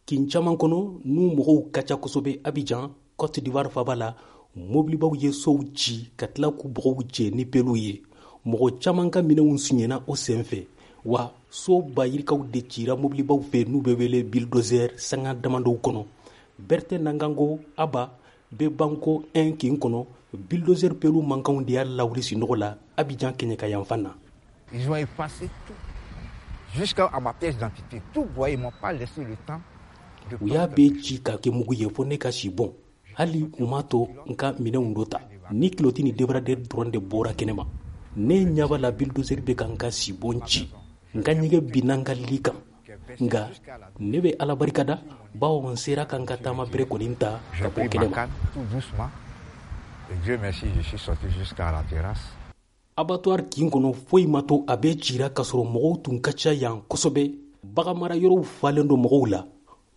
Kin caman kɔnɔ n'u mɔgɔw ka ca kosɛbɛ Abidjan, Cote d'Ivoire faaba la, mobilibaw ye sow ci ka tila k'u bɔgɔw cɛ ni peliw ye. Mɔgɔ caman ka minɛnw suɲɛna o senfɛ, wa so ba yirikaw de cira mobilibaw fɛ n'u bɛ wele bulldozer sanga damadɔw kɔnɔ. Bertin Nangango Aba bɛ Banco 1 kin kɔnɔ, bulldozer pelu mankanw de y'a lawuli sunɔgɔ la Abidjan kɛɲɛka yanfan na. Ils ont effacé tout, jusqu'à ma pièce d'identité. Tout broyé, ils m'ont pas laissé le temps. U y'a bɛɛ ci ka kɛ mugu ye fo ne ka si bɔn. Hali u m'a to n ka minɛnw dɔ ta. Ni kiloti ni débardeur dɔrɔn de bɔra kɛnɛma. Ne ɲɛ b'a la bulldozer bɛ ka n ka sibon ci. N ka ɲɛgɛn binna n ka li kan. Nka ne bɛ Ala barika da, bawo n sera ka n ka taama bere kɔni ta ka bɔ kɛnɛma. Dieu merci, je suis sorti jusqu'à la terrasse. Abattoir kin kɔnɔ foyi ma to, a bɛɛ cira k'a sɔrɔ mɔgɔw tun ka ca yan kosɛbɛ. Baganmara yɔrɔw falen don mɔgɔw la.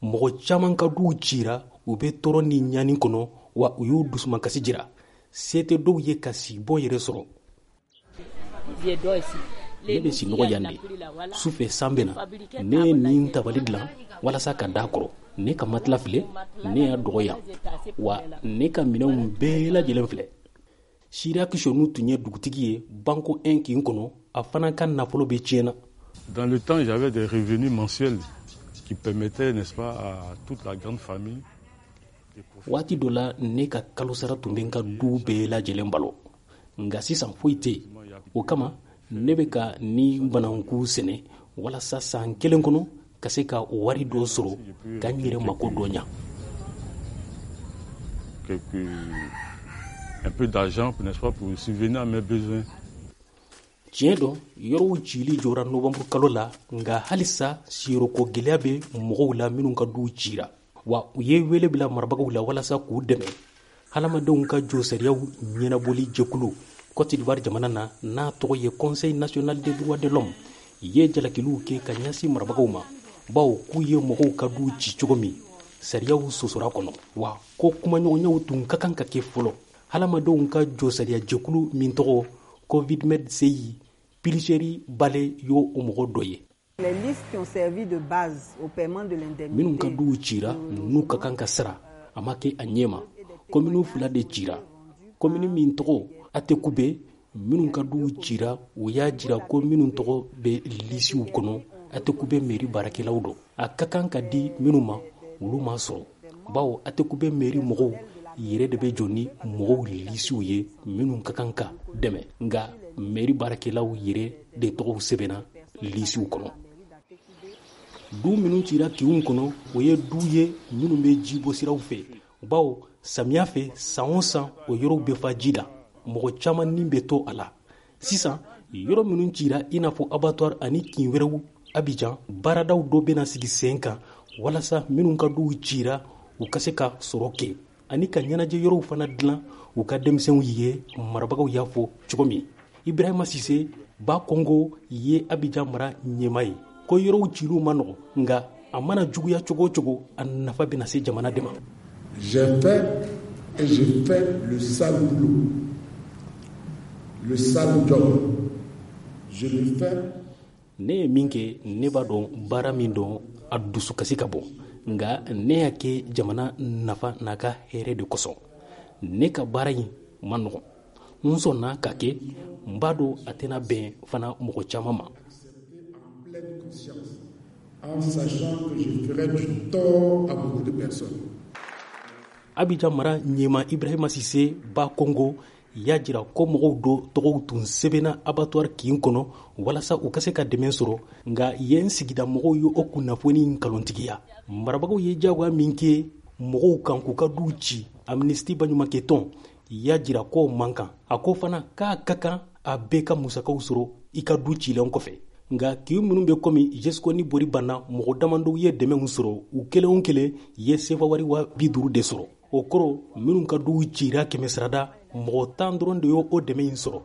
Mɔgɔ caman ka duw cira, u bɛ tɔɔrɔ ni ɲani kɔnɔ, wa u y'u dusumakasi jira. Se tɛ dɔw ye ka sibon yɛrɛ sɔrɔ. Ne bɛ sinɔgɔ yan de. Su fɛ san bɛ na, ne ye nin tabali dilan walasa ka da kɔrɔ. Ne ka matelas filɛ, ne y'a dɔgɔ yan, wa ne ka minɛnw bɛɛ lajɛlen filɛ. Sira Kisonu tun ye dugutigi ye Banco 1 kin kɔnɔ, a fana ka nafolo bɛ tiɲɛna. Dans le temps, j'avais des revenus mensuels qui permettaient, n'est-ce pas, à toute la grande famille. Waati dɔ la, ne ka kalosara tun bɛ n ka du bɛɛ lajɛlen balo, nka sisan foyi tɛ yen. O kama ne bɛ ka ni bananku sɛnɛ walasa san kelen kɔnɔ ka se ka wari dɔ sɔrɔ ka n yɛrɛ mako dɔ ɲa. Un peu d'argent, n'est-ce pas, pour subvenir à mes besoins. Tiɲɛ don, yɔrɔw cili jɔra novanburu kalo la, nka halisa siyɔrɔko gɛlɛya bɛ mɔgɔw la minnu ka duw cira, wa u ye wele bila marabagaw la walasa k'u dɛmɛ. Hadamadenw ka josariyaw ɲɛnabɔli jɛkulu Cote d'Ivoire jamana na, n'a tɔgɔ ye Conseil national des droits de l'homme, ye jalakiliw kɛ ka ɲɛsin marabagaw ma, bawo k'u ye mɔgɔw ka duw ci cogo min, sariyaw sɔsɔra kɔnɔ, wa ko kumaɲɔgɔnyaw tun ka kan ka kɛ fɔlɔ. Hadamadenw ka josariya jɛkulu min tɔgɔ Covidmed CI, Piliseri Bale y'o o mɔgɔ dɔ ye. Minnu ka duw cira n'u ka kan ka sara, a ma kɛ a ɲɛ ma. Komini 2 de cira. Komini min tɔgɔ Atekube, minnu ka duw cira, u y'a jira ko minnu tɔgɔ bɛ lisiw kɔnɔ, Atekube mairie baarakɛlaw don. A ka kan ka di minnu ma, olu ma sɔrɔ, bawo Atekube mairie mɔgɔw yɛrɛ de bɛ jɔ ni mɔgɔw lisiw ye minnu ka kan ka dɛmɛ, nka mairie baarakɛlaw yɛrɛ de tɔgɔw sɛbɛnna lisiw kɔnɔ. Du minnu cira kinw kɔnɔ, o ye du ye minnu bɛ jibɔsiraw fɛ, bawo samiya fɛ san o san o yɔrɔw bɛ fa ji la, mɔgɔ caman ni bɛ to a la. Sisan yɔrɔ minnu cira i n'a fɔ abattoir ani kin wɛrɛw Abidjan, baaradaw dɔ bɛna sigi sen kan walasa minnu ka duw cira u ka se ka sɔrɔ kɛ ani ka ɲɛnajɛ yɔrɔw fana dilan u ka denmisɛnw ye, marabagaw y'a fɔ cogo min. Ibrahima Sise Ba Kongo ye Abidjan mara ɲɛmaa ye, ko yɔrɔw ciliw ma nɔgɔ, nka a mana juguya cogo o cogo, a nafa bɛna se jamana de ma. J'ai fait et je fais le sale boulot, le sale job. Je le fais. Ne ye min kɛ, ne b'a dɔn baara min don, a dusukasi ka bon, nka ne y'a kɛ jamana nafa n'a ka hɛrɛ de kosɔn. Ne ka baara in ma nɔgɔn, n sɔnna ka kɛ, n b'a dɔn a tɛna bɛn fana mɔgɔ caman ma. En sachant que je ferai du tort à beaucoup de personnes. Abidjan mara ɲɛmaa Ibrahima Sise Ba Kongo y'a jira ko mɔgɔw dɔ tɔgɔw tun sɛbɛnna abattoir kin kɔnɔ walasa u ka se ka dɛmɛ sɔrɔ, nka yen sigida mɔgɔw ye o kunnafoni nkalontigiya. Marabagaw ye diyagoya min kɛ mɔgɔw kan k'u ka duw ci, Amnesty baɲumankɛtɔn y'a jira k'o man kan. A ko fana k'a ka kan a bɛɛ ka musakaw sɔrɔ i ka du cilen kɔfɛ. Nka kin minnu bɛ komi Jesco ni Bori Banna, mɔgɔ damadɔw ye dɛmɛw sɔrɔ, u kelen o kelen ye sefa wari 50 000 de sɔrɔ. O kɔrɔ, minnu ka duw cira 100 sarada, mɔgɔ 10 dɔrɔn de y'o dɛmɛ in sɔrɔ.